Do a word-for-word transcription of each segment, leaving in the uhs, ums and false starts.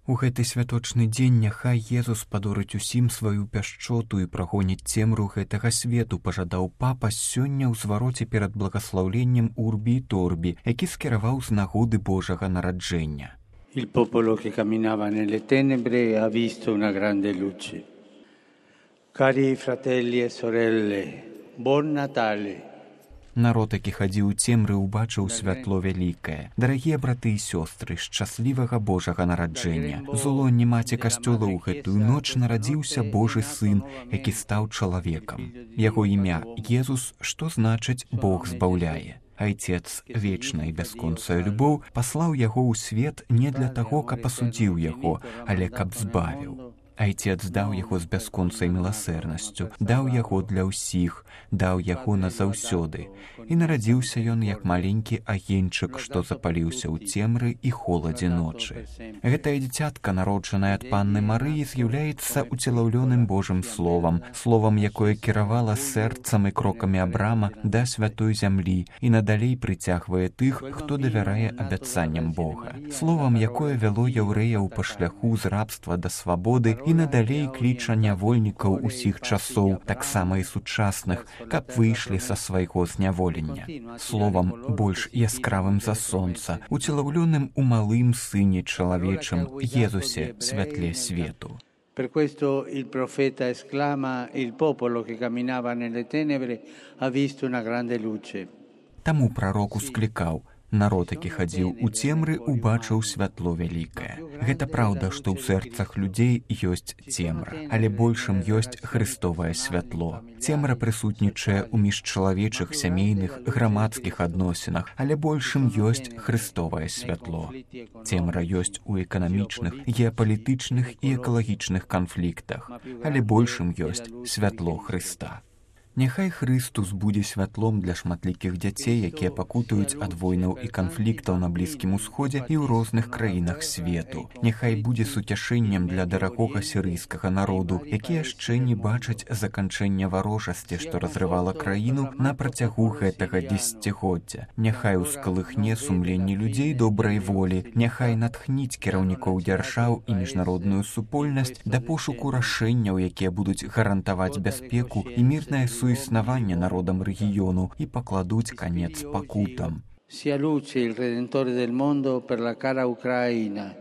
У гэты святочны дзень няхай Езус падорыць усім сваю пяшчоту і прагоніць цемру гэтага свету, пажадаў папа сёння ў звароце перад благаслаўленнем Урбі і Торбі, які скіраваў з нагоды Божага нараджэння. Il popolo che camminava nelle tenebre ha visto una grande luce. Cari fratelli e sorelle, buon Natale. Народ, які хадзіў у цемры, убачыў святло вялікае. Дарагія браты і сёстры, шчаслівага Божага нараджэння. З улонні маці касцёла ў гэтую ноч нарадзіўся Божы сын, які стаў чалавекам. Яго імя Езус, што значыць Бог збаўляе. Айцец, вечная і бясконцая любоў, паслаў яго ў свет не для таго, каб асудзіў яго, але каб збавіў. Айцец даў яго з бясконцай міласэрнасцю, даў яго для ўсіх, даў яго назаўсёды. І нарадзіўся ён як маленькі агеньчык, што запаліўся ў цемры і холадзе ночы. Гэтае дзіцятка, народжанае ад панны Марыі, з'яўляецца уцелаўлёным Божым словам, словам, якое кіравала сэрцам і крокамі Абрама да святой зямлі і надалей прыцягвае тых, хто давярае абяцанням Бога. Словам, якое вяло яўрэяў па шляху з рабства да свабоды і надалей кліча нявольнікаў усіх часоў, таксама і сучасных, каб выйшлі са свайго зняволення. Словам, больш яскравым за сонца, уцелаўлёным у малым сыне чалавечым, Езусе, святле свету. Per questo il profeta esclama: il popolo che camminava nelle tenebre ha visto una grande luce. Таму прарок усклікаў: народ, які хадзіў у цемры, убачыў святло вялікае. Гэта праўда, што ў сэрцах людзей ёсць цемра, але большым ёсць Христовае святло. Цемра прысутнічае ў міжчалавечых, сямейных, грамадскіх адносінах, але большым ёсць Христовае святло. Цемра ёсць у эканамічных, геапалітычных і экалагічных канфліктах, але большым ёсць святло Хрыста. Няхай Христус будзе святлом для шматлікіх дзяцей, якія пакутуюць ад войнаў і канфліктаў на Блізкім Усходзе і ў розных краінах свету. Няхай будзе суцяшэннем для дарагога сірыйскага народу, які яшчэ не бачаць заканчэння варожасці, што разрывала краіну на працягу гэтага дзесяцігоддзя. Няхай ускалыхне сумленні людзей добрай волі, няхай натхніць кіраўнікоў дзяржаў і міжнародную супольнасць да пошуку рашэнняў, якія будуць гарантаваць бяспеку і мірнае су існавання народам рэгіёну і пакладуць канец пакутам. Sia luce il Redentore del mondo per la cara Ucraina,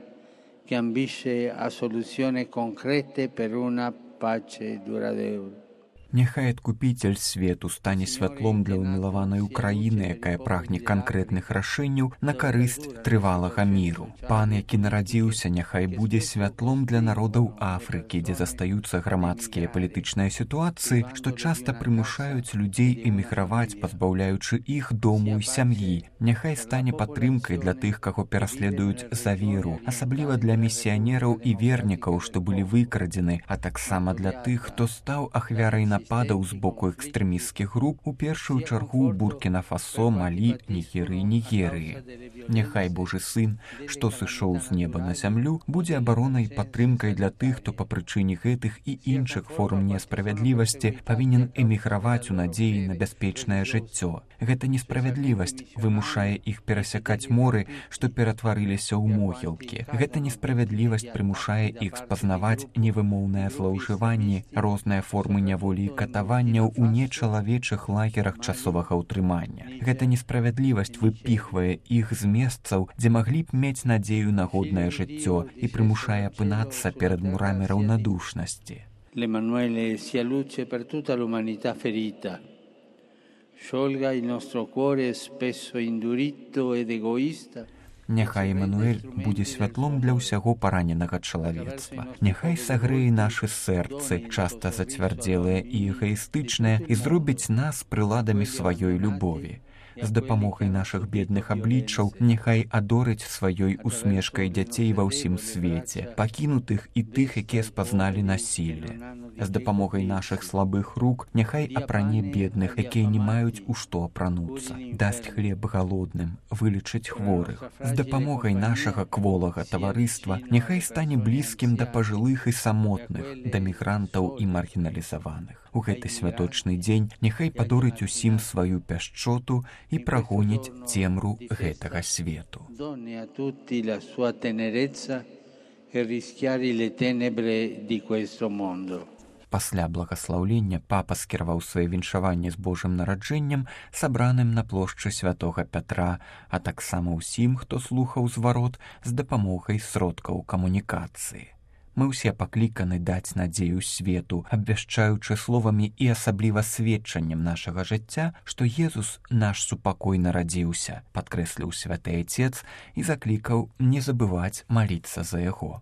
che ambisce a soluzioni concrete per una pace duradera. Няхай адкупіцель свету стане святлом для ўмілаванай Украіны, якая прагне канкрэтных рашэнняў на карысць трывалага міру. Пан, які нарадзіўся, няхай будзе святлом для народаў Афрыкі, дзе застаюцца грамадскія палітычныя сітуацыі, што часта прымушаюць людзей эміграваць, пазбаўляючы іх дому і сям'і. Няхай стане падтрымкай для тых, каго пераследуюць за веру, асабліва для місіянераў і вернікаў, што былі выкрадзены, а таксама для тых, хто стаў ахвярай на нападаў з боку экстрэмісцкіх груп, у першую чаргу Буркіна-Фасо, Малі, Нігеры і Нігерыі. Няхай Божы сын, што сышоў з неба на зямлю, будзе абаронай і падтрымкай для тых, хто па прычыне гэтых і іншых форм несправядлівасці павінен эміграваць у надзеі на бяспечнае жыццё. Гэта несправядлівасць вымушае іх перасякаць моры, што ператварыліся ў могілкі. Гэта несправядлівасць прымушае іх спазнаваць невымоўнае злоўжыванне, розныя формы няволі і катаванняў у нечалавечых лагерах часовага ўтрымання. Гэта несправядлівасць выпіхвае іх з месцаў, дзе маглі б мець надзею на годнае жыццё і прымушае апынацца перад мурамі раўнадушнасці. L'Emanuele sia luce per tutta l'umanità ferita. Sciolga il nostro cuore spesso indurito ed egoista. Няхай Эмануэль будзе святлом для ўсяго параненага чалавецтва. Няхай сагрэе нашы сэрцы, часта зацвярдзелыя і эгаістычныя, і зробіць нас прыладамі сваёй любові. З дапамогай нашых бедных абліччаў няхай адорыць сваёй усмешкай дзяцей ва ўсім свеце, пакінутых і тых, якія спазналі насілле. З дапамогай нашых слабых рук няхай апране бедных, якія не маюць у што апрануцца, дасць хлеб галодным, вылечыць хворых. З дапамогай нашага кволага таварыства няхай стане блізкім да пажылых і самотных, да мігрантаў і маргіналізаваных. У гэты святочны дзень няхай падорыць усім сваю пяшчоту і прагоніць цемру гэтага свету. e rischiare le tenebre di questo mondo. Пасля благаслаўлення папа скіраваў свае віншаванні з Божым нараджэннем, сабраным на плошчы святога Пятра, а таксама ўсім, хто слухаў зварот з дапамогай сродкаў камунікацыі. Мы ўсе пакліканы даць надзею свету, абвяшчаючы словамі і асабліва сведчаннем нашага жыцця, што Езус наш супакой нарадзіўся, падкрэсліў святы Айцец і заклікаў не забываць маліцца за яго.